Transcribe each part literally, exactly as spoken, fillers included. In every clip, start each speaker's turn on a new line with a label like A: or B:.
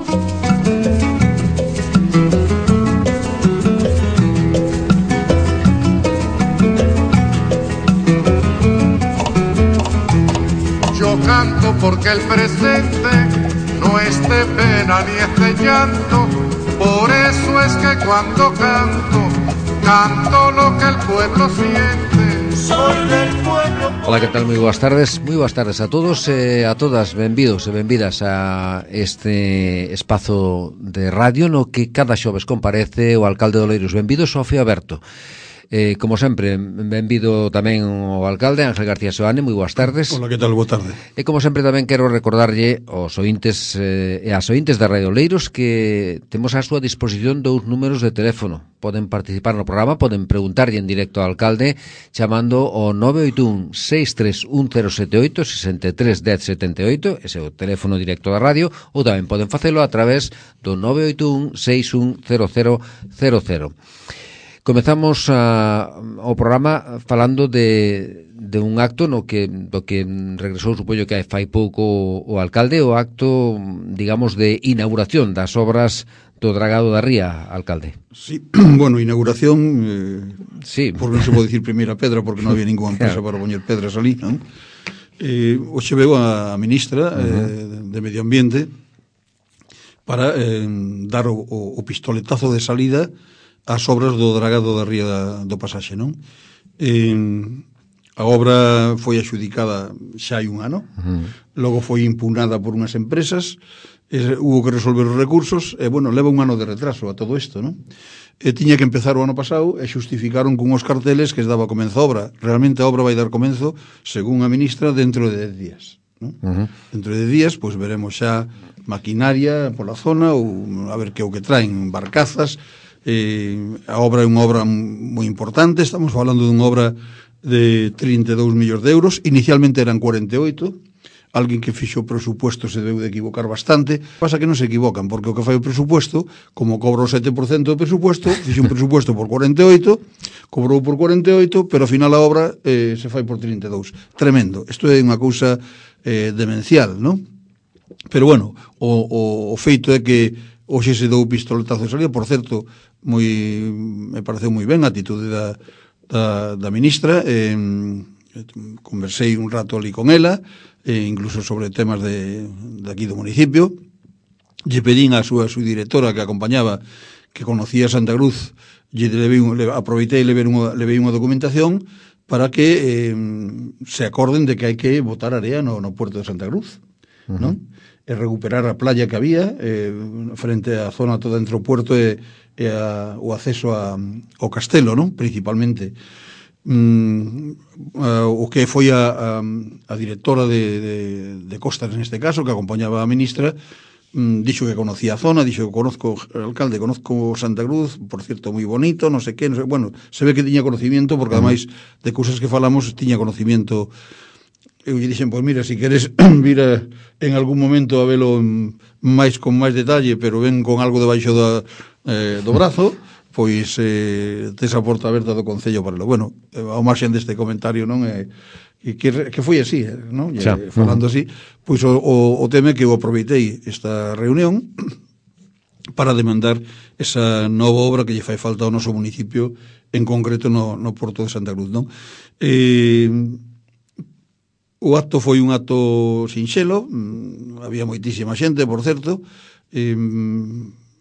A: Yo canto porque el presente no es de pena ni es de llanto, por eso es que cuando canto, canto lo que el pueblo siente. Soy del pueblo.
B: Ola, que tal? Moi boas tardes, moi boas tardes a todos e a todas, benvidos e benvidas a este espazo de radio no que cada xoves comparece o alcalde de Oleiros. Benvido, Sofía Berto. Eh, como sempre, benvido tamén o alcalde Ángel García Seoane, moi boas tardes.
C: Hola, que tal? Boa tarde.
B: E como sempre tamén quero recordarlle aos ointes eh, e as ointes da Radio Oleiros que temos a súa disposición dous números de teléfono. Poden participar no programa, poden preguntarlle en directo ao alcalde chamando o nove oito un, seis tres un, cero sete oito, seis tres un cero sete oito, ese é o teléfono directo da radio, ou tamén poden facelo a través do nove oito un, seis un, cero cero cero cero. Comezamos a, o programa falando de, de un acto no que, do que regresou, supoño que fai pouco o, o alcalde, o acto, digamos, de inauguración das obras do Dragado da Ría, alcalde.
C: Sí, bueno, inauguración, eh,
B: sí.
C: Porque non se pode dicir primeira pedra, porque non había ninguna empresa para poñer pedras ali, non? Eh, hoxe veo a ministra uh-huh. eh, de Medio Ambiente para eh, dar o, o pistoletazo de salida as obras do Dragado da Ría do Pasaxe, non? Eh, a obra foi axudicada xa hai un ano, uh-huh. Logo foi impugnada por unhas empresas, eh, hubo que resolver os recursos, e, bueno, leva un ano de retraso a todo isto, non? E tiña que empezar o ano pasado e xustificaron con uns carteles que daba comenzo a obra. Realmente a obra vai dar comenzo, según a ministra, dentro de dez días, non? Uh-huh. Dentro de dez días, pois veremos xa maquinaria pola zona, ou a ver que o que traen, barcazas. Eh, a obra é unha obra moi importante, estamos falando dunha obra de trinta e dous millóns de euros, inicialmente eran cuarenta e oito, alguén que fixo o presupuesto se deu de equivocar bastante, pasa que non se equivocan, porque o que fai o presupuesto, como cobra o sete por cento do presupuesto, fixe un presupuesto por cuarenta e oito, cobrou por cuarenta e oito, pero ao final a obra eh, se fai por trinta e dous. Tremendo, isto é unha cousa eh, demencial, non? Pero bueno, o, o, o feito é que hoxe se dou pistoletazo de salida, por certo, moi, me pareceu moi ben a atitude da, da, da ministra, eh, conversei un rato ali con ela, eh, incluso sobre temas de, de aquí do municipio, lle pedín a súa subdirectora que acompañaba, que conocía Santa Cruz, lle levei, le, aproveitei e levei unha, levei unha documentación para que eh, se acorden de que hai que botar area no, no puerto de Santa Cruz, uh-huh. Non? E recuperar a playa que había eh, frente á zona toda entre o puerto e, e a, o acceso a, ao castelo, non? Principalmente. Mm, a, o que foi a, a, a directora de, de, de Costas neste caso, que acompañaba a ministra, mm, dixo que conocía a zona, dixo que conozco o alcalde, conozco Santa Cruz, por cierto, moi bonito, non sei que, non sei, bueno, se ve que tiña conocimiento, porque ademais de cousas que falamos, tiña conocimiento. Eu lle dixen, pois mira, se si queres vir a, en algún momento a velo máis con máis detalle, pero ven con algo debaixo da, eh, do brazo, pois eh, tes a porta aberta do Concello para lo. Bueno, ao marxen deste comentario, non? Eh, que, que foi así, non? E, falando así, pois o, o, o tema que eu aproveitei esta reunión para demandar esa nova obra que lle fai falta ao noso municipio, en concreto no, no Porto de Santa Cruz, non? Eh, O acto foi un acto sinxelo, había moitísima xente, por certo, eh,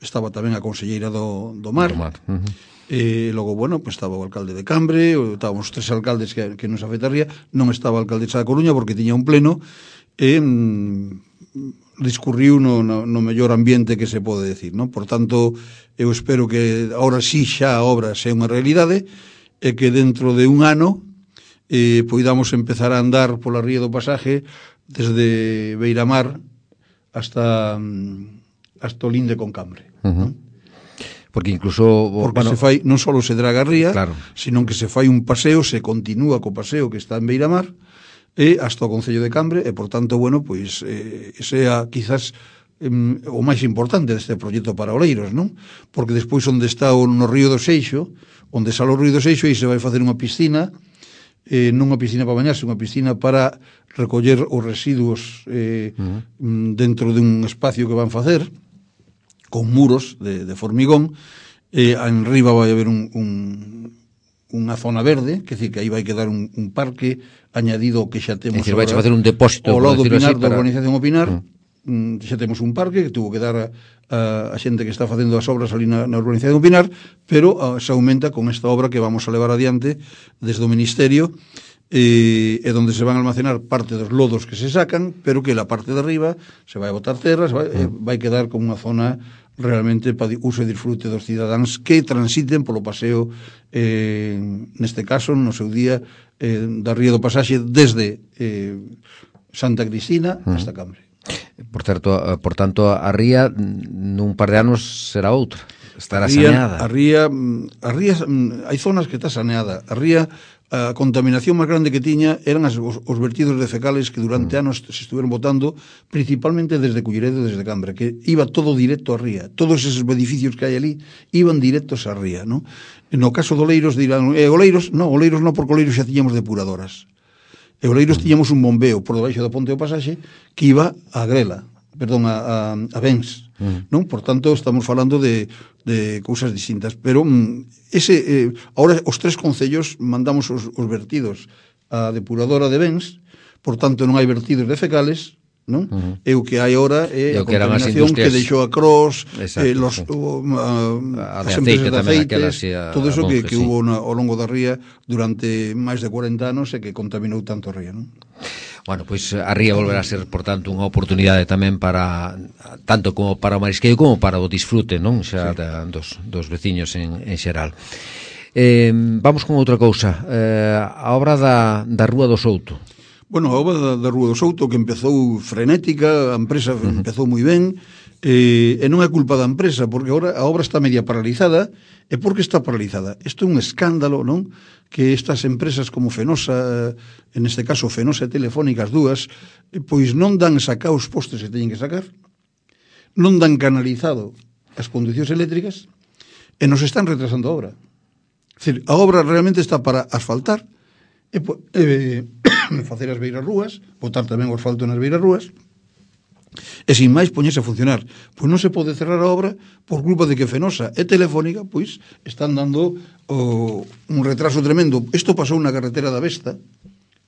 C: estaba tamén a conselleira do, do Mar, do Mar. Uh-huh. E logo, bueno, pues estaba o alcalde de Cambre, estábamos tres alcaldes que, que nos afectaría, non estaba a alcaldesa da Coruña porque tiña un pleno, e mm, discurriu no, no, no mellor ambiente que se pode decir, non? Por tanto, eu espero que ahora sí xa a obra sea unha realidade, e que dentro de un ano Eh, poidamos empezar a andar pola ría do Pasaje desde Beiramar hasta hasta o linde con Cambre, uh-huh. ¿No?
B: Porque incluso
C: porque
B: bueno,
C: se fai, non só se draga a ría,
B: claro,
C: sino que se fai un paseo, se continúa co paseo que está en Beiramar e hasta o Concello de Cambre, e por tanto, bueno, pois eh, sea quizás eh, o máis importante deste proxecto para Oleiros, non? Porque despois onde está o no río do Seixo, onde sale o río do Seixo, aí se vai facer unha piscina, eh, non unha piscina para bañarse, unha piscina para recoller os residuos eh, uh-huh. dentro dun espacio que van facer, con muros de, de formigón, e eh, en riba vai haber un, un, unha zona verde, que decir que aí vai quedar un, un parque añadido que xa temos.
B: É dicir, vai facer un depósito,
C: ao lado do Pinar,
B: así,
C: da
B: para...
C: urbanización O Pinar, mm. xa temos un parque que tuvo que dar a, a, a xente que está facendo as obras ali na, na urbanización O Pinar, pero a, se aumenta con esta obra que vamos a levar adiante desde o Ministerio, e, e donde se van a almacenar parte dos lodos que se sacan, pero que la parte de arriba se vai a botar terra, se vai, mm. vai quedar como unha zona realmente para uso e disfrute dos cidadáns que transiten polo paseo, eh, neste caso, no seu día, eh, da Ría do Pasaxe desde eh, Santa Cristina mm. hasta Cambre.
B: Por certo, por tanto, a ría nun par de anos será outra, estará
C: a ría,
B: saneada.
C: A ría, a ría, hai zonas que está saneada. A ría, a contaminación máis grande que tiña eran as, os, os vertidos de fecales que durante mm. anos se estuveron botando, principalmente desde Culleredo e desde Cambre, que iba todo directo a ría. Todos esos edificios que hai ali iban directos a ría, ¿no? No caso de Oleiros dirán, eh, Oleiros, no, Oleiros non, porque Oleiros xa tiñamos depuradoras. E Oleiros tiñamos un bombeo por debaixo do Ponte do Pasaxe que iba a Grela, perdón, a, a, a Bens, mm. non? Por tanto, estamos falando de, de cousas distintas, pero mm, ese, eh, ahora os tres concellos mandamos os, os vertidos á depuradora de Bens, por tanto non hai vertidos de fecales, non? Uh-huh. E o que hai ahora é a contaminación que deixou a Cross, eh, los, sí. o, a, as empresas de aceites, todo eso que, que sí. hubo na, ao longo da ría durante máis de cuarenta anos e que contaminou tanto a ría, non?
B: Bueno, pois a ría volverá a ser, por tanto, unha oportunidade tamén para, tanto como para o marisqueo como para o disfrute, non? Xa sí. da, dos, dos veciños en, en xeral. Eh, vamos con outra cousa, eh, a obra da, da Rúa do Souto.
C: Bueno, a obra da, da Rúa do Souto que empezou frenética, a empresa uh-huh. empezou moi ben, eh, e non é culpa da empresa, porque agora a obra está media paralizada. E por que está paralizada? Isto é un escándalo, non? Que estas empresas como Fenosa, en este caso Fenosa e Telefónica, as dúas, pois non dan sacar os postes que teñen que sacar, non dan canalizado as conducións eléctricas, e nos están retrasando a obra. É dicir, a obra realmente está para asfaltar, e, e facer as beiras rúas, botar tamén o asfalto nas beiras rúas, e sin máis poñerse a funcionar. Pois non se pode cerrar a obra por culpa de que Fenosa e Telefónica pois están dando o, un retraso tremendo. Isto pasou na carretera da Vesta,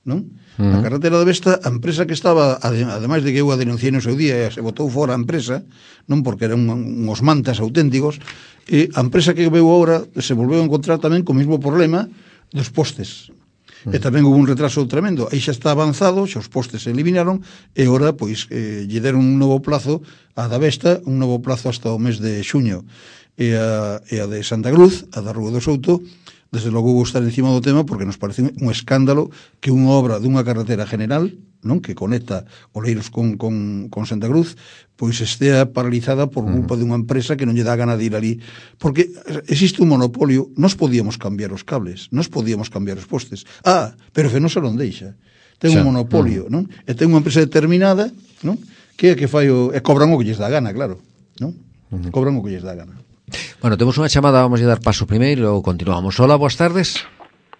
C: non? Uh-huh. Na carretera da Vesta, a empresa que estaba, ademais de que eu a denunciei no seu día e se botou fora a empresa, non porque eran uns mantas auténticos, e a empresa que veu agora se volveu a encontrar tamén co mesmo problema dos postes. Mm. E tamén hubo un retraso tremendo. Aí xa está avanzado, xa os postes se eliminaron, e ora, pois, eh, lle deron un novo plazo a da Vesta, un novo plazo hasta o mes de xuño. E a, e a de Santa Cruz, a da Rúa do Souto, desde logo vou estar encima do tema porque nos parece un escándalo que unha obra dunha carretera general, non, que conecta Oleiros con, con, con Santa Cruz, pois estea paralizada por culpa uh-huh. dunha empresa que non lle dá gana de ir ali, porque existe un monopolio. Nos podíamos cambiar os cables, nos podíamos cambiar os postes. Ah, pero Fenosa non deixa. Ten un monopolio, uh-huh. non? E ten unha empresa determinada, non? Que é que fai o... e cobran o que lles dá gana, claro, non? Uh-huh. Cobran o que lles dá gana.
B: Bueno, temos unha chamada, vamos a dar paso primeiro e logo continuamos. Hola, boas tardes.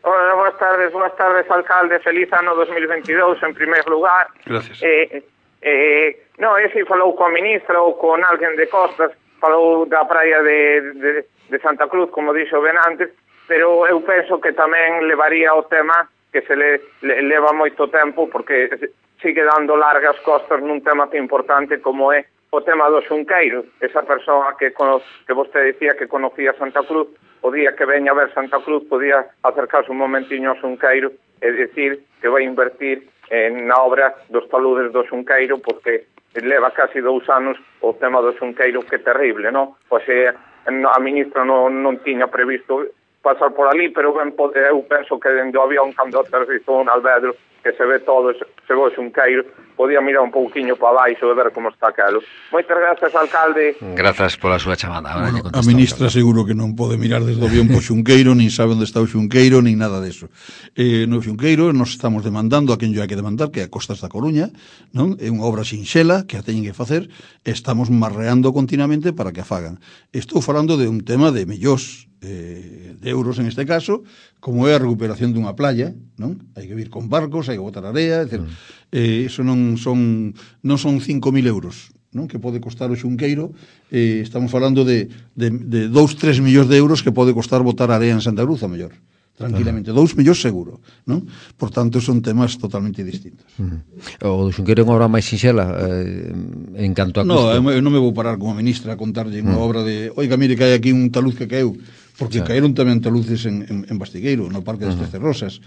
D: Hola, boas tardes, boas tardes, alcalde. Feliz ano dos mil veintidós, en primer lugar.
C: Gracias.
D: Eh, eh, no, ese falou coa ministra ou con alguén de Costas, falou da praia de, de, de Santa Cruz, como dixo ben antes, pero eu penso que tamén levaría o tema que se le, le leva moito tempo, porque sigue dando largas costas nun tema tan importante como é o tema do Xunqueiro. Esa persoa que, que vostede decía que conocía Santa Cruz, o día que veña a ver Santa Cruz podía acercarse un momentiño ao Xunqueiro e decir que vai invertir en, na obra dos taludes do Xunqueiro, porque leva casi dous anos o tema do Xunqueiro, que é terrible, non? Pois eh, a ministra non, non tiña previsto pasar por ali, pero ben, eu penso que dende o avión, cando aterrizou un Alvedro, que se ve todo, se ve o Xunqueiro, podía mirar un pouquiño para baixo e ver como está aquelo. Moitas gracias, alcalde.
B: Grazas pola súa chamada.
C: Bueno, a ministra seguro que non pode mirar desde o avión po Xunqueiro, nin sabe onde está o Xunqueiro, nin nada deso. Eh, no Xunqueiro nos estamos demandando a quen yo hai que demandar, que é a Costas da Coruña, non? É unha obra sinxela que a teñen que facer, e estamos marreando continuamente para que a fagan. Estou falando de un tema de millóns eh, de euros en este caso, como é a recuperación dunha playa, non? Hai que vir con barcos, hai que botar area, é dicir, mm. eh, eso non son non son cinco mil euros, non? Que pode costar o Xunqueiro, eh, estamos falando de, de, de dous, tres millóns de euros que pode costar botar area en Santa Cruz, a mellor, tranquilamente, dous millóns seguro, non? Por tanto, son temas totalmente distintos.
B: Uh-huh. O do Xunqueiro é unha obra máis sinxela eh, en canto a
C: custo?
B: No,
C: eu non me vou parar como ministra a contarlle unha uh-huh. obra de, oiga, mire, que hai aquí un taluz que caeu, porque sí. caeron tamén taluces en, en, en Bastigueiro, no Parque das uh-huh. Trece Rosas,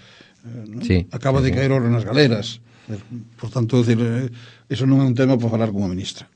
C: eh, ¿no? Sí. Acaba sí, de caer oro nas galeras. Por tanto, decir, eso non é un tema para falar como ministra.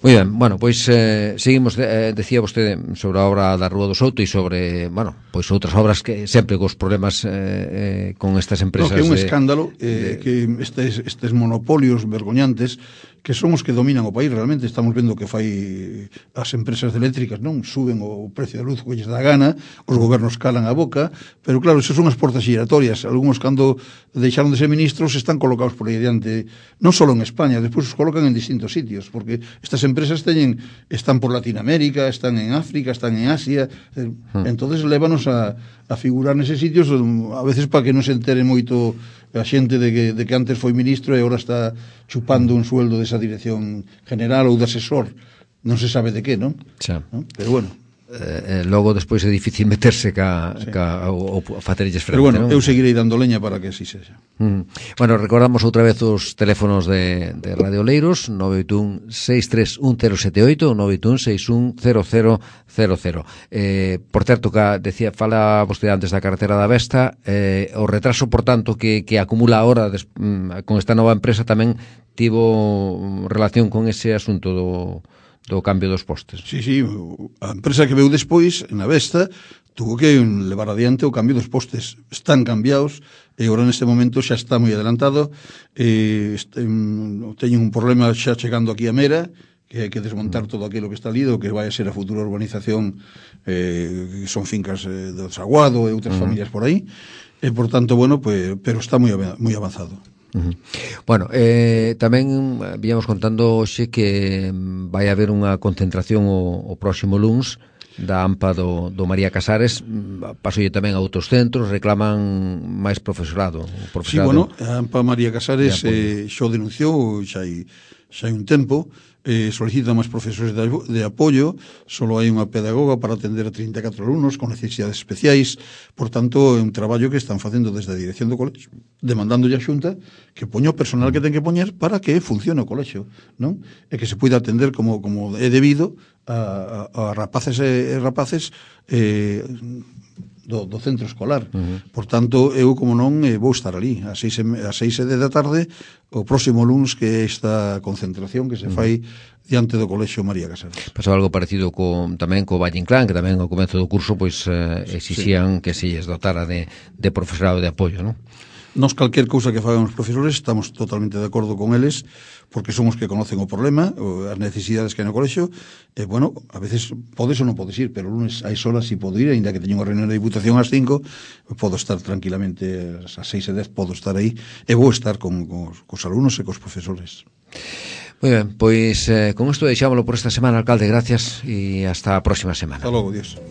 B: Moi ben, bueno, pois eh, seguimos, eh, decía vostede sobre a obra da Rúa do Souto e sobre, bueno, pois outras obras que sempre cos problemas eh, eh, con estas empresas.
C: No, que é un
B: de,
C: escándalo eh, de... que estes, estes monopolios vergoñantes que son os que dominan o país realmente. Estamos vendo que fai as empresas eléctricas, non? Suben o precio da luz que lles dá gana, os gobernos calan a boca, pero claro, eso son as portas giratorias. Algúns cando deixaron de ser ministros están colocados por aí diante, non só en España, despois os colocan en distintos sitios, porque estas empresas teñen, están por Latinoamérica, están en África, están en Asia, eh, hmm. entonces lévanos a, a figurar neses sitios, a veces para que non se entere moito a xente de que, de que antes foi ministro e agora está chupando un sueldo desa dirección general ou de asesor, non se sabe de que, non?
B: Xa.
C: ¿No? Pero bueno,
B: Eh, logo despois é difícil meterse ca, sí. ca o, o facerelles frente.
C: Pero bueno,
B: non?
C: eu seguirei dando leña para que así sexa.
B: Mm. Bueno, recordamos outra vez os teléfonos de, de Radio Oleiros, nove oito un seis tres un cero sete oito, nove oito un seis un cero cero cero cero. Eh, por certo, que decía, fala vostede antes da carretera da Vesta, eh, o retraso, por tanto, que, que acumula ahora des, mm, con esta nova empresa tamén tivo relación con ese asunto do do cambio dos postes.
C: Sí, sí, a empresa que veu despois, na Vesta, tuvo que levar adiante o cambio dos postes. Están cambiados e agora neste momento xa está moi adelantado. Eh, este, teñen un problema xa chegando aquí a Mera, que hai que desmontar todo aquilo que está lido, que vai a ser a futura urbanización, eh, que son fincas eh, do Saguado e outras uh-huh. familias por aí. E, por tanto, bueno, pues, pero está moi moi avanzado.
B: Uh-huh. Bueno, eh, tamén víamos contando hoxe que vai haber unha concentración o, o próximo luns da AMPA do, do María Casares. Pasolle tamén a outros centros, reclaman máis profesorado, profesorado.
C: Sí, bueno, a AMPA María Casares de eh, xo denunciou xa hai, xa hai un tempo, eh, solicita máis profesores de, de apoio. Solo hai unha pedagoga para atender a trinta e catro alumnos con necesidades especiais. Por tanto, é un traballo que están facendo desde a dirección do colexio, demandando a Xunta que poña o personal que ten que poñer para que funcione o colexio, non? E que se poida atender como, como é debido a, a, a rapaces e rapaces eh, do, do centro escolar. Uh-huh. Por tanto, eu, como non, eh, vou estar ali a seis, a seis e dez da tarde o próximo luns, que é esta concentración que se fai uh-huh. diante do Colexio María Casares.
B: Pasou algo parecido co, tamén co Valle Inclán, que tamén ao comezo do curso pois eh, exixían sí. que se lles dotara de, de profesorado de apoio, non?
C: Nos, calquer cousa que fagan os profesores, estamos totalmente de acordo con eles, porque son os que conocen o problema, as necesidades que hai no colexio, e, bueno, a veces podes ou non podes ir, pero o lunes hai solas si podo ir, ainda que teño unha reunión de diputación ás cinco, podo estar tranquilamente ás seis e dez, podo estar aí, e vou estar con, con cos alumnos e cos profesores.
B: Moi ben, pois eh, con isto deixámoslo por esta semana, alcalde, gracias, e hasta a próxima semana.
C: Hasta logo, Dios.